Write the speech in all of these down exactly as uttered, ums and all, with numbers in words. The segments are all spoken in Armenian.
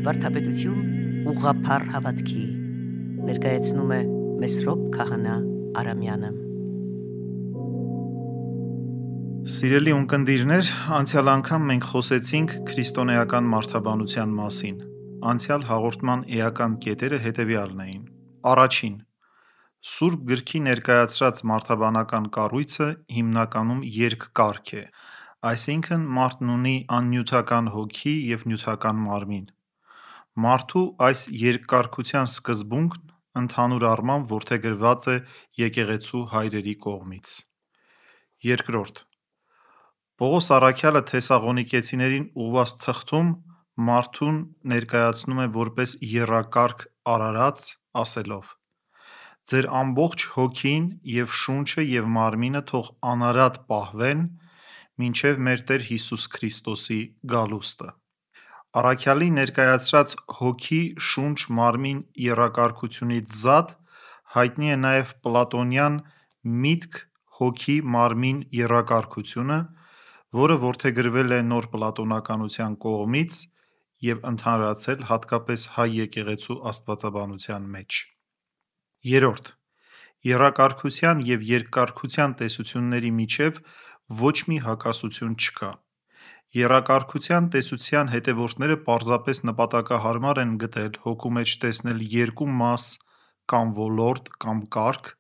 Վարդապետություն ուղղափառ հավատքի ներկայացնում է Մեսրոպ Քահանա Արամյանը։ Սիրելի ունկնդիրներ, անցյալ անգամ մենք խոսեցինք քրիստոնեական մարդաբանության մասին։ Անցյալ հաղորդման էական կետերը հետևյալն էին. Առաջին. Սուրբ գրքի ներկայացրած մարդաբանական կառույցը հիմնականում երկկարգ է, այսինքն մարդն ունի աննյութական հոգի և նյութական մարմին։ Մարդու այս երկկարգության սկզբունքն ընդհանուր առմամբ որդեգրված է եկեղեցու հայրերի կողմից։ Երկրորդ. Պողոս առաքյալը Թեսաղոնիկեցիներին ուղղված թղթում մարդուն ներկայացնում է որպես եռակարգ արարած, ասելով. «Ձեր ամբողջ հոգին և շունչը և մարմինը թող անարատ պահվեն, մինչև մեր Տեր Հիսուս Քրիստոսի գալուստը»։ Առաքյալի ներկայացրած հոգի, շունչ, մարմին եռակարգությունից զատ հայտնի է նաև պլատոնյան միտք, հոգի, մարմին եռակարգությունը, որը որդեգրվել է նոր պլատոնականության կողմից և ընդհանրացել հատկապես հայ եկեղեցու աստվածաբանության մեջ։ Երրորդ. Եռակարգության և երկկարգության տեսությունների միջև ոչ մի հակասություն չկա։ Եռակարգության տեսության հետևորդները պարզապես նպատակահարմար են գտել հոգու մեջ տեսնել երկու մաս կամ ոլորտ կամ կարգ,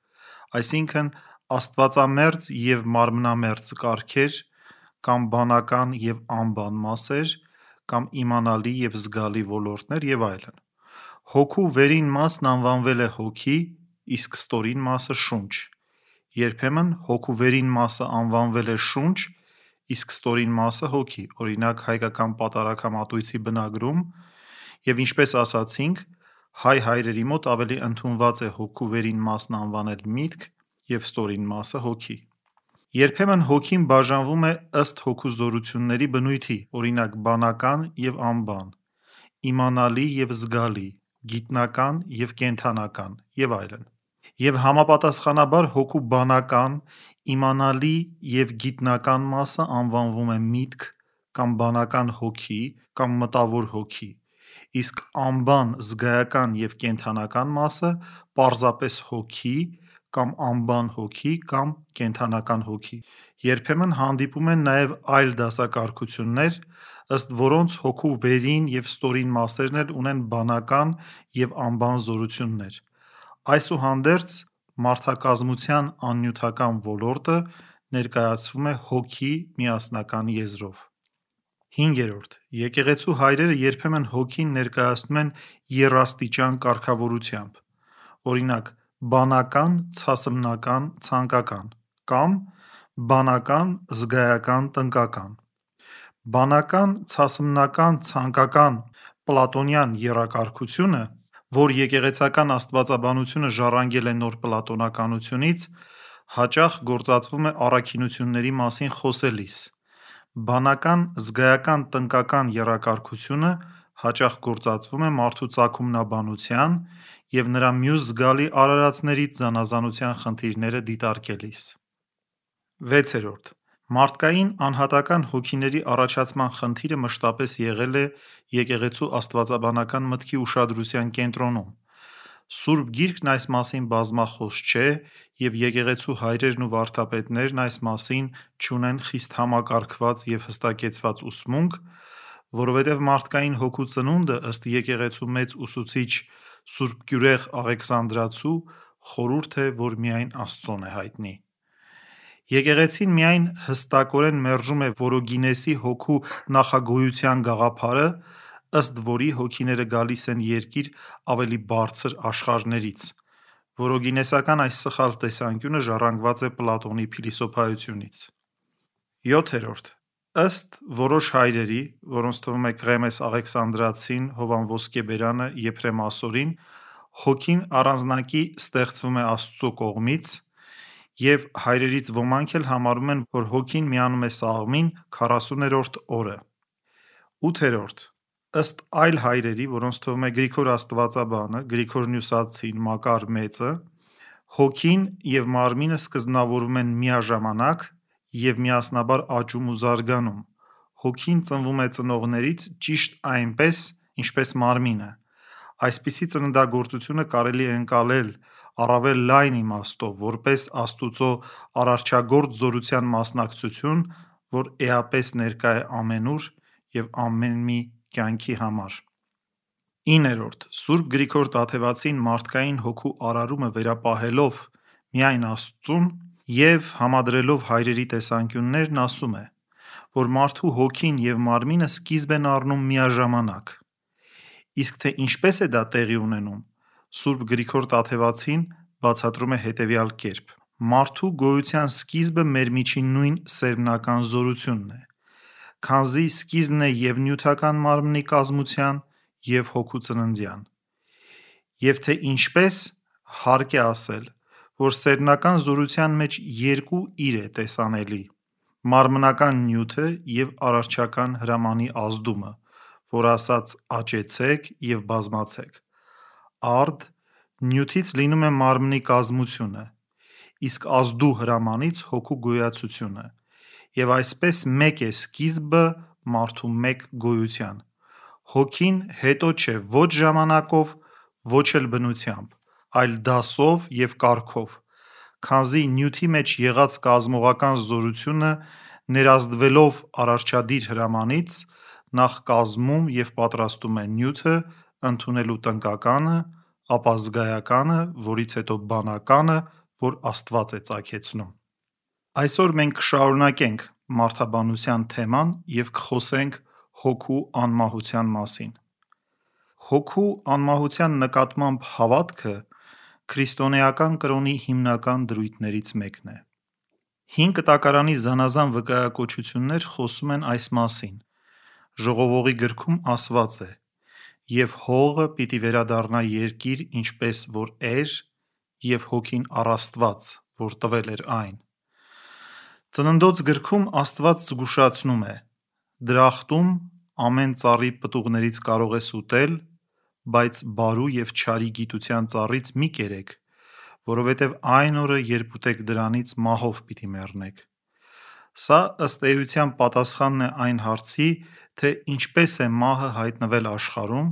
այսինքն աստվածամերձ և մարմնամերձ կարգեր, կամ բանական և անբան մասեր, կամ իմանալի և զգալի ոլորտներ և այլն։ Հոգու վերին մասն անվանվել է հոգի, իսկ ստորին մասը շունչ։ Երբեմն հոգու վերին մասը անվանվել է շունչ, իսկ ստորին մասը հոգի, օրինակ հայկական պատարագամատույցի բնագրում, և ինչպես ասացինք, հայ հայրերի մոտ ավելի ընդունված է հոգու վերին մասն անվանել միտք և ստորին մասը հոգի։ Երբեմն հոգին բաժանվում է ըստ հոգու զորությունների բնույթի, օրինակ բանական և անբան, իմանալի և զգալի, գիտնական և կենդանական և այլն։ Եվ համապատասխանաբար հոգու բանական, իմանալի և գիտնական մասը անվանվում է միտք կամ բանական հոգի կամ մտավոր հոգի, իսկ անբան, զգայական և կենդանական մասը պարզապես հոգի կամ անբան հոգի կամ կենդանական հոգի։ Երբեմն հանդիպում են նաև այլ դասակարգություններ, ըստ որոնց հոգու վերին և ստորին մասերն էլ ունեն բանական և անբան զորություններ։ Այսուհանդերձ, մարդակազմության աննյութական ոլորտը ներկայացվում է հոգի միասնական եզրով։ Հինգերորդ. Եկեղեցու հայրերը երբեմն հոգին ներկայացնում են եռաստիճան կարգավորությամբ, օրինակ՝ բանական, ցասմնական, ցանկական, կամ բանական, զգայական, տնկական։ Բանական, ցասմնական, ցանկական պլատոնյան եռակարգությունը, որ եկեղեցական աստվածաբանությունը ժառանգել է նոր պլատոնականությունից, հաճախ գործածվում է առաքինությունների մասին խոսելիս։ Բանական, զգայական, տնկական եռակարգությունը հաճախ գործածվում է մարդու ծագումնաբանության և նրա մյուս զգալի արարածներից զանազանության խնդիրները դիտարկելիս։ Վեցերորդ. Մարդկային անհատական հոգիների առաջացման խնդիրը մշտապես եղել է եկեղեցու աստվածաբանական մտքի ուշադրության կենտրոնում։ Սուրբ Գիրքն այս մասին բազմախոս չէ, և եկեղեցու հայրերն ու վարդապետներն այս մասին չունեն խիստ համակարգված և հստակեցված ուսմունք, որովհետև մարդկային հոգու ծնունդը, ըստ եկեղեցու մեծ ուսուցիչ Ս. Գյուրեղ Աղեքսանդրացու, խորհուրդ է, որ միայն Աստծուն է հայտնի։ Եկեղեցին միայն հստակորեն մերժում է Որոգինեսի հոգու նախագոյության գաղափարը, ըստ որի հոգիները գալիս են երկիր ավելի բարձր աշխարհներից։ Որոգինեսական այս սխալ տեսանկյունը ժառանգված է Պլատոնի փիլիսոփայությունից։ Յոթերորդ. Ըստ որոշ հայրերի, որոնց թվում է Կղեմես Աղեքսանդրացին, Հովհան Ոսկեբերանը, Եփրեմ Ասորին, հոգին առանձնակի ստեղծվում է Աստծու կողմից, և հայրերից ոմանք էլ համարում են, որ հոգին միանում է Սաղմին քառասուներորդ օրը։ Ութերորդ. Ըստ այլ հայրերի, որոնց թվում է Գրիգոր Աստվածաբանը, Գրիգոր Նյուսացին, Մակար Մեծը, հոգին և մարմինը սկզբնավորվում են միաժամանակ և միասնաբար աճում ու զարգանում։ Հոգին ծնվում է ծնողներից ճիշտ այնպես, ինչպես մարմինը։ Այսպիսի ծննդագործությունը կարելի է ընկալել առավել լայն իմաստով, որպես Աստուծո արարչագործ զորության մասնակցություն, որ էապես ներկա է ամենուր և ամեն մի կյանքի համար։ իններորդ. Սուրբ Գրիգոր Տաթևացին մարդկային հոգու արարումը վերապահելով միայն Աստծուն և համադրելով հայրերի տեսանկյուններն, ասում է, որ մարդու հոգին և մարմինը սկիզբ են առնում միաժամանակ։ Իսկ թե ինչպես է դա տեղի ունենում, Սուրբ Գրիգոր Տաթևացին բացատրում է հետևյալ կերպ. մարդու գոյության սկիզբը մեր միջին նույն սերմնական զորությունն է, քանզի սկիզբն է և նյութական մարմնի կազմության, և հոգու ծննդյան։ Եվ թե ինչպես, հարկ է ասել, որ սերմնական զորության մեջ երկու իր է տեսանելի՝ մարմնական նյութը և արարչական հրամանի ազդումը, որ ասաց աճեցեք և բազմացեք։ Արդ նյութից լինում է մարմնի կազմությունը, իսկ ազդու հրամանից հոգու գոյացությունը, և այսպես մեկ է սկիզբը մարդու մեկ գոյության։ Հոգին հետո չէ ոչ ժամանակով, ոչ էլ բնությամբ, այլ դասով և կարգով, քանզի նյութի մեջ եղած կազմողական զորությունը ներազդվելով արարչադիր հրամանից, նախ կազմում և պատրաստում է նյութը ընդունելու տնկականը, ապա զգայականը, որից հետո բանականը, որ Աստված է ծագեցնում։ Այսօր մենք կշարունակենք մարդաբանության թեման և կխոսենք հոգու անմահության մասին։ Հոգու անմահության նկատմամբ հավատքը քրիստոնեական կրոնի հիմնական դրույթներից մեկն է։ Հին Կտակարանի զանազան վկայակոչություններ խոսում են այս մասին։ Ժողովողի գրքում ասված է. «Եվ հողը պիտի վերադառնա երկիր, ինչպես որ էր, և հոգին առ Աստված, որ տվել էր այն»։ Ծննդոց գրքում Աստված զգուշացնում է. «Դրախտում ամեն ծառի պտուղներից կարող ես ուտել, բայց բարու և չարի գիտության ծառից մի կերեք, որովհետև այն օրը, երբ ուտեք դրանից, մահով պիտի մեռնեք»։ Սա ըստ էության պատասխանն է այն հարցի, թե ինչպես է մահը հայտնվել աշխարհում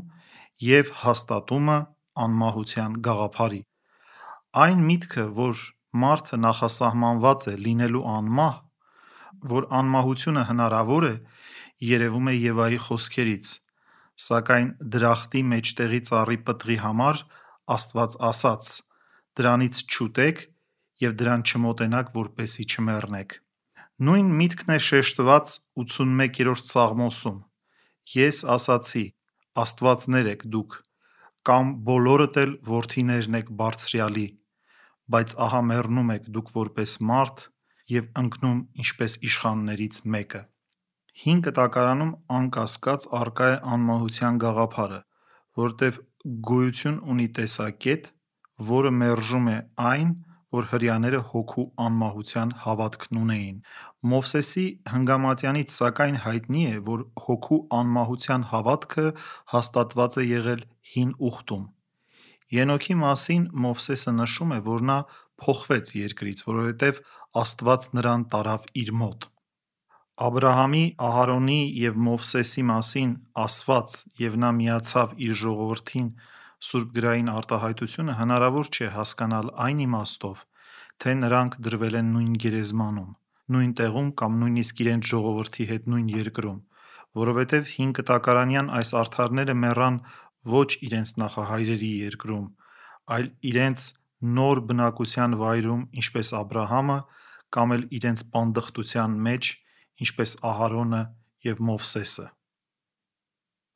և հաստատումը անմահության գաղափարի։ Այն միտքը, որ մարդը նախասահմանված է լինելու անմահ, որ անմահությունը հնարավոր է, երևում է Եվայի խոսքերից, սակայն դրախտի մեջտեղի ծառի պտղի համար Աստված ասաց. «Դրանից չուտեք և դրան չմոտենաք, որպեսզի չմեռնեք»։ Նույն միտքն է շեշտված ութսունմեկերորդ Սաղմոսում. «Ես ասացի. Աստվածներ եք դուք, կամ բոլորդ էլ որդիներն եք Բարձրյալի, բայց ահա մեռնում եք դուք որպես մարդ և ընկնում ինչպես իշխաններից մեկը»։ Հին Կտակարանում անկասկած առկա է անմահության գաղափարը, որովհետև գոյություն ունի տեսակետ, որը մերժում է այն, որ հրեաները հոգու անմահության հավատքն ունեին։ Մովսեսի Հնգամատյանից սակայն հայտնի է, որ հոգու անմահության հավատքը հաստատված է եղել Հին Ուխտում։ Ենոքի մասին Մովսեսը նշում է, որ նա փոխվեց երկրից, որովհետև Աստված նրան տարավ իր մոտ։ Աբրահամի, Ահարոնի և Մովսեսի մասին ասված և նա միացավ իր ժողովրդին սուրբգրային արտահայտությունը հնարավոր չէ հասկանալ այն իմաստով, թե նրանք դրվել են նույն գերեզմանում, նույն տեղում կամ նույնիսկ իրենց ժողովրդի հետ նույն երկրում, որովհետև հինկտակարանյան այս արդարները մեռան ոչ իրենց նախահայրերի երկրում, այլ իրենց նոր բնակության վայրում, ինչպես Աբրահամը, կամ էլ իրենց պանդխտության մեջ, ինչպես Ահարոնը և Մովսեսը։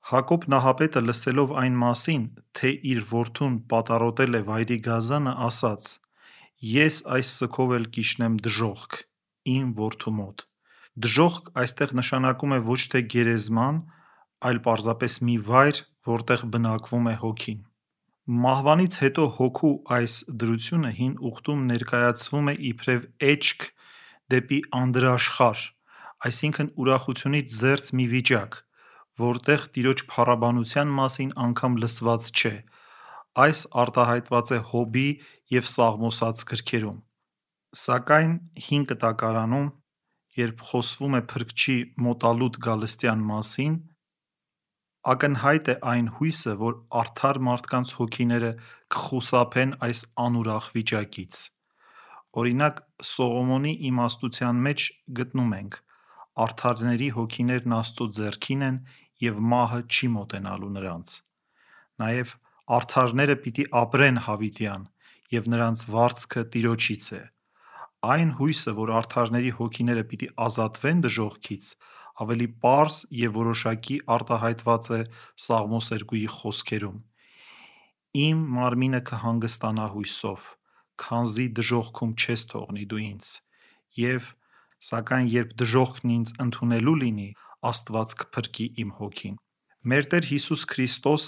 Հակոբ Նահապետը լսելով այն մասին, թե իր որդուն պատառոտել է վայրի գազանը, ասաց. «Ես այս սգով էլ կիջնեմ դժոխք իմ որդու մոտ»։ Դժոխք այստեղ նշանակում է ոչ թե գերեզման, այլ պարզապես մի վայր, որտեղ բնակվում է հոգին։ Մահվանից հետո հոգու այս դրությունը Հին Ուխտում ներկայացվում է իբրև էչք դեպի անդրաշխար, այսինքն ուրախությունից զերծ մի վիճակ, որտեղ Տիրոջ փառաբանության մասին անգամ լսված չէ։ Այս արտահայտված է Հոբի և Սաղմոսաց գրքերում։ Սակայն Հին Կտակարանում, երբ խոսվում է Փրկչի մոտալուտ գալստյան մասին, Ակնհայտ է այն հույսը, որ արդար մարդկանց հոգիները կխուսափեն այս անուրախ վիճակից։ Օրինակ, Սողոմոնի իմաստության մեջ գտնում ենք. արդարների հոգիներն Աստծո ձեռքին են և մահը չի մոտենալու նրանց։ Նաև արդարները պիտի ապրեն հավիտյան, և նրանց վարձքը Տիրոջից է։ Այն հույսը, որ արդարների հոգիները պիտի ազատվեն դժոխքից, ավելի պարզ և որոշակի արտահայտված է Սաղմոս երկուի խոսքերում. «Իմ մարմինը կհանգստանա հույսով, քանզի դժոխքում չես թողնի դու ինձ, և սակայն երբ դժոխքն ինձ ընդունելու լինի, Աստված կփրկի իմ հոգին»։ Մեր Տեր Հիսուս Քրիստոս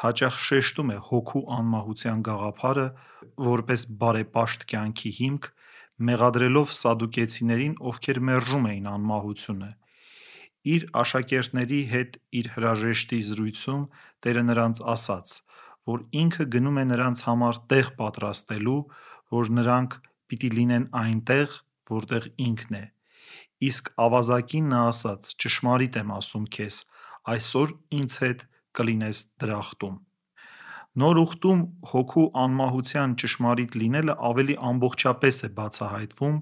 հաճախ շեշտում է հոգու անմահության գաղափարը որպես բարեպաշտ կյանքի հիմք, մեղադրելով սադուկեցիներին, ովքեր մերժում էին անմահությունը։ Իր աշակերտների հետ իր հրաժեշտի զրույցում Տերը նրանց ասաց, որ ինքը գնում է նրանց համար տեղ պատրաստելու, որ նրանք պիտի լինեն այնտեղ, որտեղ ինքն է։ Իսկ ավազակին նա ասաց. «Ճշմարիտ եմ ասում քեզ, այսօր ինձ հետ կլինես դրախտում»։ Նոր Ուխտում հոգու անմահության ճշմարիտ լինելը ավելի ամբողջապես է բացահայտվում՝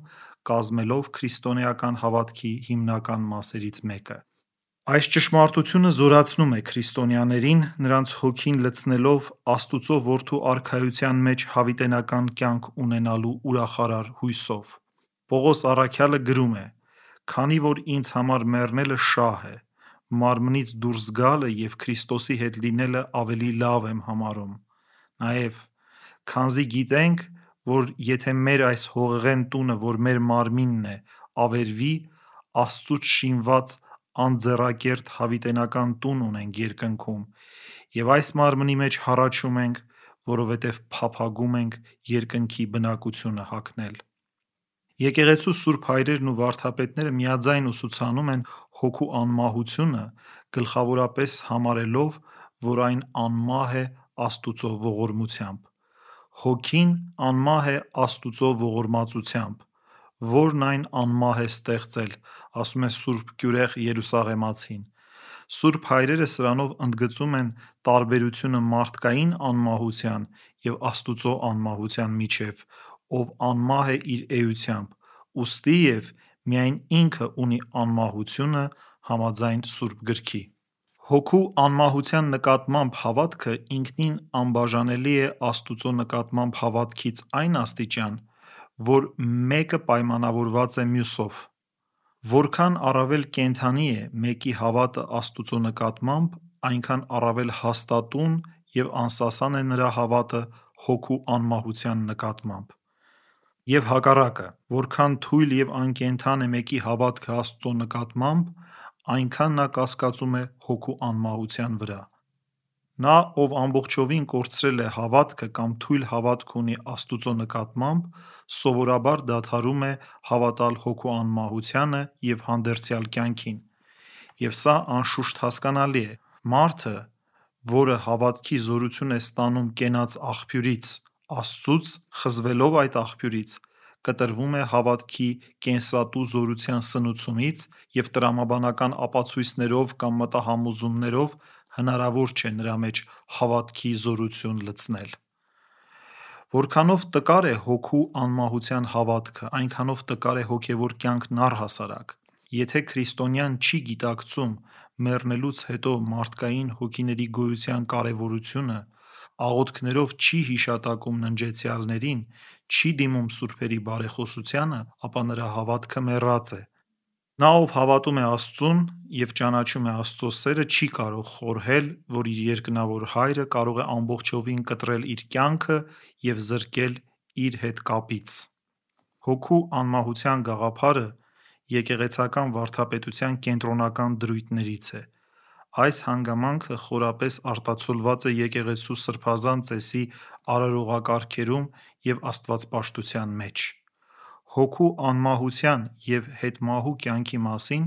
կազմելով քրիստոնեական հավատքի հիմնական մասերից մեկը։ Այս ճշմարտությունը զորացնում է քրիստոնյաներին՝ նրանց հոգին լցնելով Աստուծո Որդու Արքայության մեջ հավիտենական կյանք ունենալու ուրախարար հույսով։ Պողոս առաքյալը գրում է. «Քանի որ ինձ համար մեռնելը շահ է, մարմնից դուրս գալը և Քրիստոսի հետ լինելը ավելի լավ եմ համարում։ Նաև, քանզի գիտենք, որ եթե մեր այս հողեղեն տունը, որ մեր մարմինն է, ավերվի, Աստծուց շինված անձեռակերտ հավիտենական տուն ունենք երկնքում, և այս մարմնի մեջ հառաչում ենք, որովհետև փափագում ենք երկնքի բնակությունը հագնել»։ Եկեղեցու սուրբ հայրերն ու վարդապետները միաձայն ուսուցանում են հոգու անմահությունը՝ գլխավորապես համարելով, որ այն անմահ է Աստուծո ողորմությամբ։ Հոգին անմահ է Աստուծո ողորմածությամբ, որն այն անմահ է ստեղծել, ասում է սուրբ Գյուրեղ Երուսաղեմացին։ Սուրբ հայրերը սրանով ընդգծում են տարբերությունը մարդկային անմահության և Աստուծո անմահության միջև, ով անմահ է իր էությամբ, ուստիև միայն ինքը ունի անմահությունը համաձայն Սուրբ Գրքի։ Հոգու անմահության նկատմամբ հավատքը ինքնին անբաժանելի է Աստուծո նկատմամբ հավատքից այն աստիճան, որ մեկը պայմանավորված է մյուսով։ Որքան առավել կենդանի է մեկի հավատը Աստուծո նկատմամբ, այնքան առավել հաստատուն և անսասան է նրա հավատը հոգու անմահության նկատմամբ։ Եվ հակառակը, որքան թույլ և անկենդան է մեկի հավատքը Աստծո նկատմամբ, այնքան նա կասկածում է հոգու անմահության վրա։ Նա, ով ամբողջովին կորցրել է հավատքը կամ թույլ հավատք ունի Աստուծո նկատմամբ, սովորաբար դադարում է հավատալ հոգու անմահությանը և հանդերձյալ կյանքին։ Եվ սա անշուշտ հասկանալի է։ Մարդը, որը հավատքի զորություն է ստանում կենաց աղբյուրից՝ Աստծուց, խզվելով այդ աղբյուրից, կտրվում է հավատքի կենսատու զորության սնուցումից և տրամաբանական ապացույցներով կամ մտահամոզումներով հնարավոր չէ նրա մեջ հավատքի զորություն լցնել։ Որքանով տկար է հոգու անմահության հավատքը, այնքանով տկար է հոգևոր կյանքն առհասարակ։ Եթե քրիստոնյան չի գիտակցում մեռնելուց հետո մարդկային հոգիների գոյության կարևորությունը, աղոթքներով չի հիշատակում ննջեցյալներին, չի դիմում սուրբերի բարեխոսությանը, ապա նրա հավատքը մեռած է։ Նա, ով հավատում է Աստծուն և ճանաչում է Աստծո սերը, չի կարող խորհել, որ իր երկնավոր Հայրը կարող է ամբողջովին կտրել իր կյանքը և զրկել իր հետ կապից։ Հոգու անմահության գաղափարը եկեղեցական վարդապետության կենտրոնական դրույթներից է։ Այս հանգամանքը խորապես արտացոլված է եկեղեցու սրբազան ծեսի արարողակարգերում և աստվածպաշտության մեջ։ Հոգու անմահության և հետմահու կյանքի մասին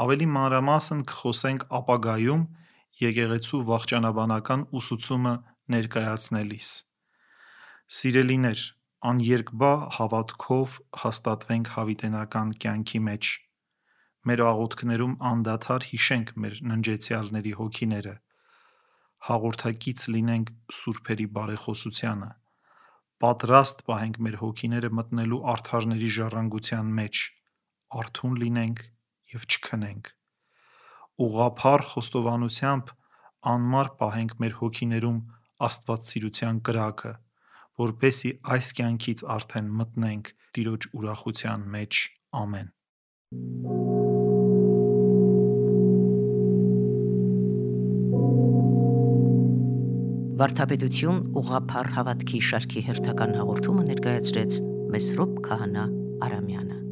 ավելի մանրամասն կխոսենք ապագայում եկեղեցու վախճանաբանական ուսուցումը ներկայացնելիս։ Սիրելիներ, աներկբա հավատքով հաստատվենք հավիտենական կյանքի մեջ։ Մեր աղոթքներում անդադար հիշենք մեր ննջեցյալների հոգիները, հաղորդակից լինենք սուրբերի բարեխոսությանը, պատրաստ պահենք մեր հոգիները մտնելու արդարների ժառանգության մեջ, արթուն լինենք և չքնենք, ուղղափառ խոստովանությամբ անմար պահենք մեր հոգիներում աստվածսիրության կրակը, որպեսզի այս կյանքից արդեն մտնենք Տիրոջ ուրախության մեջ։ Ամեն։ Վարդապետություն ուղղափառ հավատքի շարքի հերթական հաղորդումը ներկայացրեց Մեսրոպ Քահանա Արամյանը։